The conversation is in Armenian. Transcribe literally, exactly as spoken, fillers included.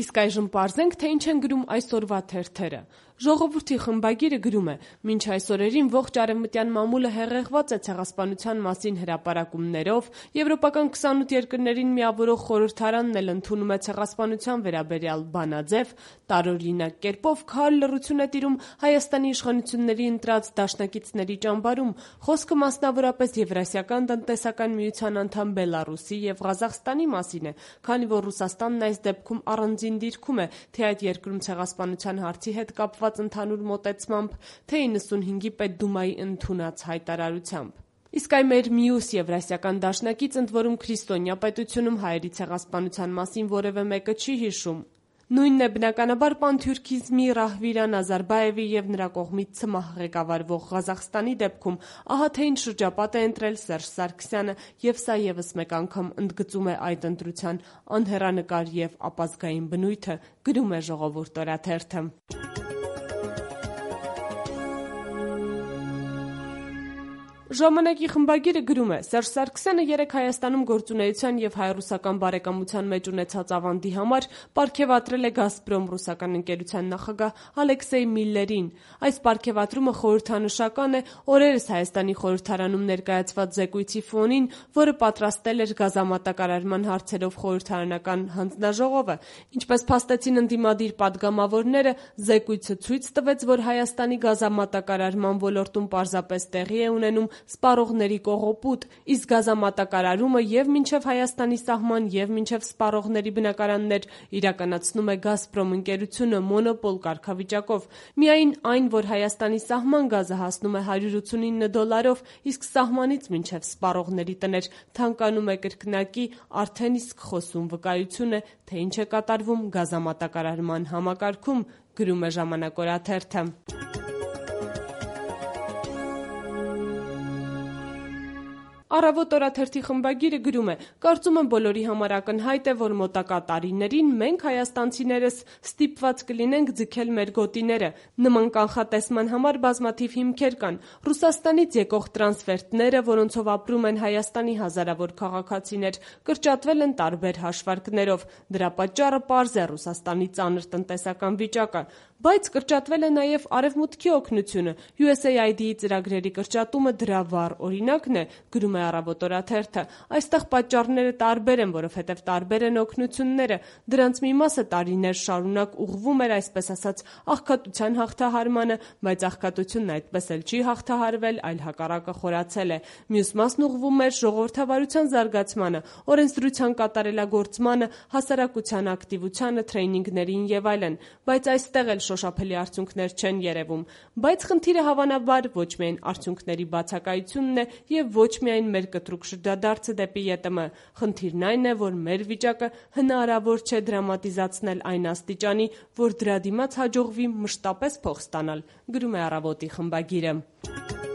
Իսկ այժմ պարզենք, թե ինչ են գրում այսօրվա թերթերը։ Ժողովրդի խմբագիրը գրում է. «Մինչ այս օրերին ողջ արևմտյան մամուլը հեղեղված է ցեղասպանության մասին հրապարակումներով, եվրոպական քսանութ երկրներին միավորող խորհրդարանն էլ ընդունում է ցեղասպանության վերաբերյալ բանաձև, տարօրինակ կերպով քար լռություն է տիրում Հայաստանի իշխանությունների ընտրած դաշնակիցների ճամբարում, խոսքը մասնավորապես Եվրասիական տնտեսական միության անդամ Բելառուսի եւ Ղազախստանի մասին է, քանի որ Ռուսաստանն այս դեպքում առանձին դիրքում է, թե այդ երկրում ցեղասպանության հարցի հետ կապված ընդհանուր մոտեցմամբ, թե իննսունհինգի Պետդումայի ընդունած հայտարարությամբ։ Իսկ այ մեր մյուս եվրասիական դաշնակից, ընդ որում քրիստոնյա պետությունում հայերի ցեղասպանության մասին որևէ մեկը չի հիշում։ Նույնն է բնականաբար պանթյուրքիզմի Ռահվիրա Նազարբաևի եւ նրա կողմից ՑՄՀ ղեկավարվող Ղազախստանի դեպքում, ահա թե ինչ շրջապատ է ընտրել Սերժ Սարգսյանը, եւ սա եւս մեկ անգամ ընդգծում է այդ ընտրության անհեռանկար եւ ապազգային բնույթը, գրում է Ժողովուրդ օրաթերթը։ Ժամանակի խմբագիրը գրում է. Սերժ Սարգսյանը երեկ Հայաստանում գործունեության եւ հայ-ռուսական բարեկամության մեջ ունեցած ավանդի համար պարգեւատրել է Գազպրոմ ռուսական ընկերության նախագահ Ալեքսեյ Միլլերին։ Այս պարգեւատրումը խորհրդանշական է օրերս Հայաստանի խորհրդարանում ներկայացված զեկույցի ֆոնին, որը պատրաստել էր գազամատակարարման հարցերով խորհրդարանական հանձնաժողովը։ Ինչպես փաստեցին ընդդիմադիր падգամավորները, զեկույցը ցույց տվեց, որ Հայաստանի գազամատակարարման ոլորտում պարզապես տեղի է ունենում սպառողների կողոպուտ, իսկ գազամատակարարումը եւ մինչեւ Հայաստանի սահման եւ մինչեւ սպառողների բնակարաններ իրականացնում է Գազպրոմ ընկերությունը մոնոպոլ կարգավիճակով։ Միայն այն, որ Հայաստանի սահման գազը հասնում է հարյուր ութսունինը դոլարով, իսկ սահմանից մինչեւ սպառողների տներ թանկանում է կրկնակի, արդեն իսկ խոսուն վկայություն է, թե ինչ է կատարվում գազամատակարարման համակարգում, գրում է Ժամանակ օրաթերթը։ Առավոտ օրաթերթի խմբագիրը գրում է. «Կարծում եմ բոլորի համար ակնհայտ է, որ մոտակա տարիներին մենք հայաստանցիներս ստիպված կլինենք ձգել մեր գոտիները։ Նման կանխատեսման համար բազմաթիվ հիմքեր կան։ Ռուսաստանից եկող տրանսֆերտները, որոնցով ապրում են Հայաստանի հազարավոր քաղաքացիներ, կրճատվել են տարբեր հաշվարկներով։ Դրա պատճառը պարզ է Ռուսաստանի ծանր տնտեսական վիճակը։ Բայց կրճատվել է նաև Արևմուտքի օգնությունը։ յու էս էյ այ դի-ի ծրագրերի կրճատումը դրա վառ օրինակն է, գրում է Առավոտ օրաթերթը։ Այստեղ պատճառները տարբեր են, որովհետև տարբեր են օգնությունները։ Դրանց մի մասը տարիներ շարունակ ուղղվում էր, այսպես ասած, աղքատության հաղթահարմանը, բայց աղքատությունն այդպես էլ չի հաղթահարվել, այլ հակառակը խորացել է։ Մյուս մասն ուղղվում էր ժողովրդավարության զարգացմանը, օրենսդրության կատարելագործմանը, հասարակության ակտիվությանը, թրեյնինգներին եւ այլն։ Բայց այստեղ էլ շոշափելի արդյունքներ չեն երևում։ Բայց խնդիրը հավանաբար ոչ միայն արդյունքների բացակայությունն է եւ ոչ միայն մեր կտրուկ շրջադարձը դեպի ԵՏՄ։ Խնդիրն այն է, որ մեր վիճակը հնարավոր չէ դրամատիզացնել այն աստիճանի, որ դրա դիմաց հաջողվի մշտապես փող ստանալ, գրում է Առավոտի խմբագիրը։